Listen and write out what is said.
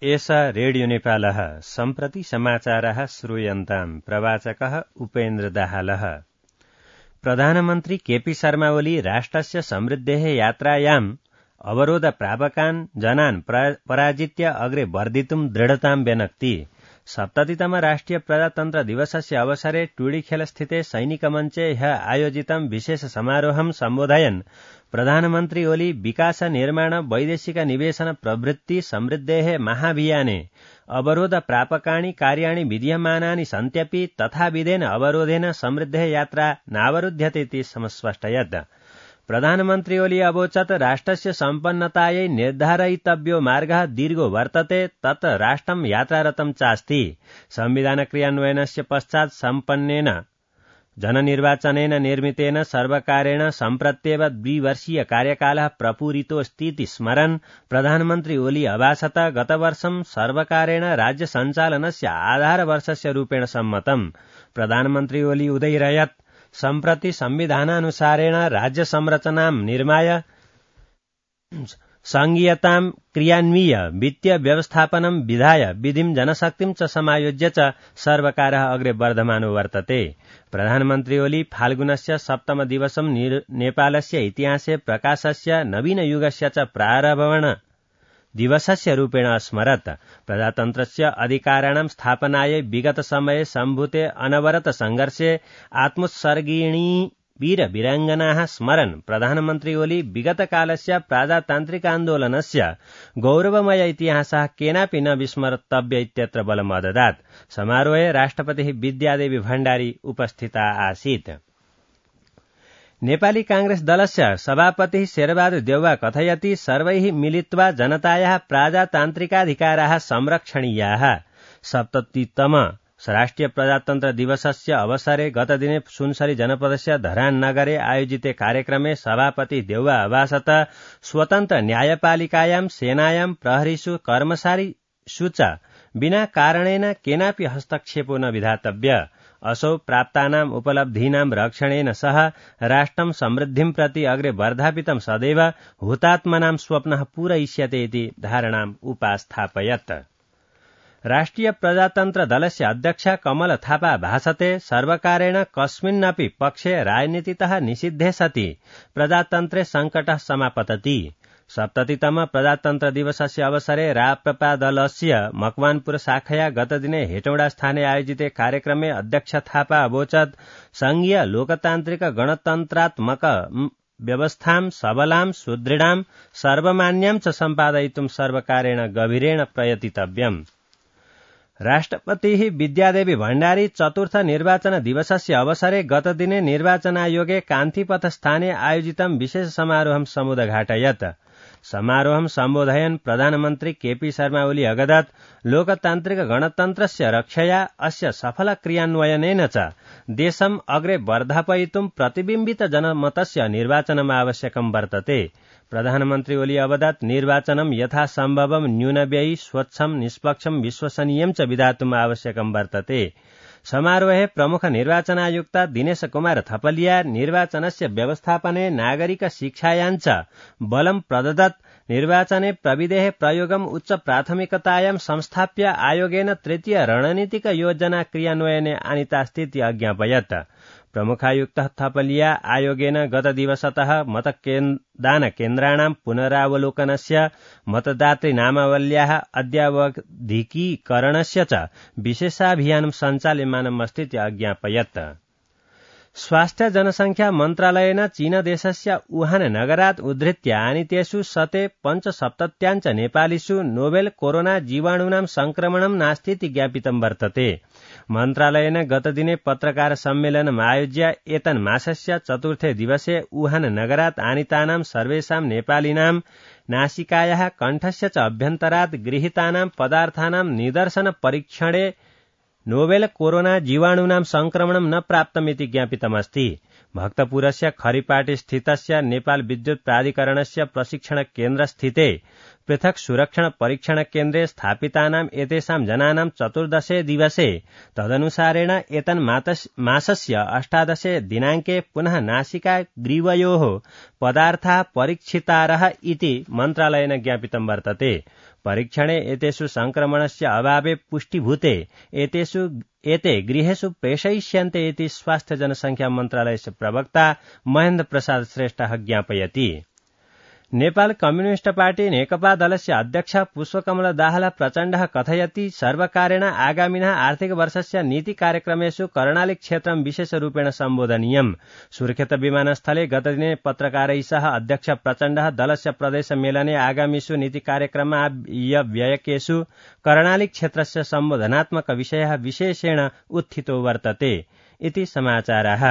एषा रेडियो नेपालः सम्प्रति समाचारः श्रूयन्ताम् प्रवाचकः उपेन्द्र दाहालः। प्रधानमन्त्री केपी शर्मा ओली राष्ट्रस्य समृद्धेः यात्रायाम् अवरोध प्रापकान् जनान् पराजित्य अग्रे वर्धितुम् दृढताम् व्यनक्ति। 70तम राष्ट्रिय प्रजातन्त्र दिवसस्य अवसरे टुडीखेलस्थिते सैनिकमञ्चे ह्यः आयोजितं विशेष समारोहं सम्बोधयन् प्रधानमन्त्री ओली विकास निर्माण वैदेशिक निवेशन प्रवृत्ति समृद्धेः महाभियाने अवरोध प्रापकाणि कार्याणि विद्यमानानि सन्त्यपि तथाविधेन अवरोधेन समृद्धेः यात्रा नावरुध्यते समस्पष्टयत्। प्रधानमन्त्री ओली अवोचत् राष्ट्रस्य सम्पन्नतायै निर्धारयितव्यो मार्गः दीर्घो वर्तते तत् राष्ट्रं यात्रारतं चास्ति। संविधान क्रियान्वयनस्य पश्चात् सम्पन्नेन जननिर्वाचनेन निर्मितेन सर्वकारेण सम्प्रत्येव द्विवर्षीय कार्यकालः प्रपूरितोऽस्तीति स्मरन् प्रधानमन्त्री ओली अभाषत गतवर्षं सर्वकारेण राज्य सञ्चालनस्य आधारवर्षस्य रूपेण सम्मतम्। प्रधानमन्त्री ओली उदयिरयत् सम्प्रति संविधानानुसारेण राज्य संरचनां निर्माय संघीयतां क्रियान्वीय वित्तीय व्यवस्थापनं विधाय विधिं जनशक्तिं च समायोज्य च सर्वकारः अग्रे वर्धमानो वर्तते। प्रधानमन्त्री ओली फाल्गुनस्य 7तम दिवसं नेपालस्य इतिहासे प्रकाशस्य नवीनयुगस्य च प्रारम्भण दिवसस्य रूपेण स्मरत्। प्रजातन्त्रस्य अधिकाराणां स्थापनायै विगत समये सम्भूते अनवरत संघर्षे आत्मोत्सर्गिणी वीर वीराङ्गनाः स्मरन् प्रधानमन्त्री ओली विगतकालस्य प्रजातान्त्रिकान्दोलनस्य गौरवमय इतिहासः केनापि न विस्मर्तव्य इत्यत्र बलम् अददात्। समारोहे राष्ट्रपतिः विद्यादेवी भण्डारी उपस्थिता आसीत्। नेपाली कांग्रेस दलस्य सभापतिः शेरबहादुर देउवा कथयति सर्वैः मिलित्वा जनतायाः प्रजातान्त्रिकाधिकाराः संरक्षणीयाः। 70तम राष्ट्रिय प्रजातन्त्र दिवसस्य अवसरे गतदिने सुनसरी जनपदस्य धरान नगरे आयोजिते कार्यक्रमे सभापति देउवा अभाषत स्वतन्त्र न्यायपालिकायां सेनायां प्रहरीषु कर्मचारीषु च विना कारणेन केनापि हस्तक्षेपो न विधातव्य। असौ प्राप्तानां उपलब्धीनां रक्षणेन सह राष्ट्रं समृद्धिं प्रति अग्रे वर्धापितं सदैव हुतात्मनां स्वप्नः पूरयिष्यते इति धारणाम् उपास्थापयत्। राष्ट्रिय प्रजातन्त्र दलस्य अध्यक्ष कमल थापा भाषते सर्वकारेण कस्मिन्नपि पक्षे राजनीतितः निषिद्धे सति प्रजातन्त्रे संकटः समापतति। 70तम प्रजातन्त्र दिवसस्य अवसरे राप्रपा दलस्य मकवानपुर शाखया गतदिने हेटौडा स्थाने आयोजिते कार्यक्रमे अध्यक्ष थापा अवोचत् संघीय लोकतान्त्रिक गणतन्त्रात्मक व्यवस्थां सबलां सुदृढां सर्वमान्यां च सम्पादयितुं सर्वकारेण गभीरेण प्रयतितव्यम्। राष्ट्रपतिः विद्यादेवी भण्डारी चतुर्थ निर्वाचन दिवसस्य अवसरे गतदिने निर्वाचनायोगे कान्तिपथ स्थाने आयोजितं विशेष समारोहं समुदघाटयत्। समारोहं सम्बोधयन् प्रधानमन्त्री केपी शर्मा ओली अगदत् लोकतान्त्रिक गणतन्त्रस्य रक्षया अस्य सफल क्रियान्वयनेन च देशम् अग्रे वर्धापयितुं प्रतिबिम्बित जनमतस्य निर्वाचनम् आवश्यकं वर्तते। प्रधानमन्त्री ओली अवदत् निर्वाचनं यथासम्भवं न्यूनव्ययी स्वच्छं निष्पक्षं विश्वसनीयं च विधातुम् आवश्यकं वर्तते। समारोहे प्रमुख निर्वाचनायुक्त दिनेश कुमार थपलिया निर्वाचनस्य व्यवस्थापने नागरिक शिक्षायां च बलं प्रददत्। निर्वाचने प्रविधेः प्रयोगम् उच्च प्राथमिकतायां संस्थाप्य आयोगेन तृतीय रणनीतिक योजना क्रियान्वयने आनीतास्तीति अज्ञापयत्। प्रमुखायुक्तः थपलिया आयोगेन गत दिवसतः मतदान केन्द्राणां पुनरावलोकनस्य मतदातृनामावल्याः अद्यावधिकीकरणस्य च विशेषाभियानं सञ्चाल्यमानमस्तीति अज्ञापयत्। स्वास्थ्य जनसंख्या मन्त्रालयेन चीनदेशस्य वुहान नगरात् उद्धृत्य आनीतेषु शते 75 नेपालीषु नोवेल कोरोना जीवाणूनां संक्रमणं नास्तीति ज्ञापितं वर्तते। मन्त्रालयेन गतदिने पत्रकार सम्मेलनम् आयोज्य एतन्मासस्य चतुर्थे दिवसे वुहान नगरात् आनीतानां सर्वेषां नेपालिनां नासिकायाः कण्ठस्य च अभ्यन्तरात् गृहीतानां पदार्थानां निदर्शन परीक्षणे नोवेल कोरोना जीवाणूनां संक्रमणं न प्राप्तमिति ज्ञापितमस्ति। भक्तपुरस्य खरिपाटी स्थितस्य नेपाल विद्युत प्राधिकरणस्य प्रशिक्षण केन्द्र स्थिते पृथक् सुरक्षण परीक्षण केन्द्रे स्थापितानां एतेषां जनानां 14 दिवसे तदनुसारेण एतन्मासस्य 18 दिनाङ्के पुनः नासिका ग्रीवयोः पदार्थाः परीक्षितारः इति मन्त्रालयेन ज्ञापितं वर्तते। परीक्षणे एतेषु संक्रमणस्य अभावे पुष्टिभूते एते गृहेषु प्रेषयिष्यन्ते इति स्वास्थ्य जनसंख्या मन्त्रालयस्य प्रवक्ता महेन्द्र प्रसाद श्रेष्ठः ज्ञापयति। नेपाल कम्युनिष्ट पार्टी नेकपा दलस्य अध्यक्ष पुष्पकमल दाहाल प्रचण्डः कथयति सर्वकारेण आगामिनः आर्थिक वर्षस्य नीति कार्यक्रमेषु कर्णाली क्षेत्रं विशेषरूपेण सम्बोधनीयम्। सुर्खेत विमानस्थले गतदिने पत्रकारैः सह अध्यक्ष प्रचण्डः दलस्य प्रदेश मेलने आगामिषु नीति कार्यक्रममा व्ययकेषु कर्णाली क्षेत्रस्य सम्बोधनात्मक विषयः विशेषेण उत्थितो वर्तते इति समाचारः।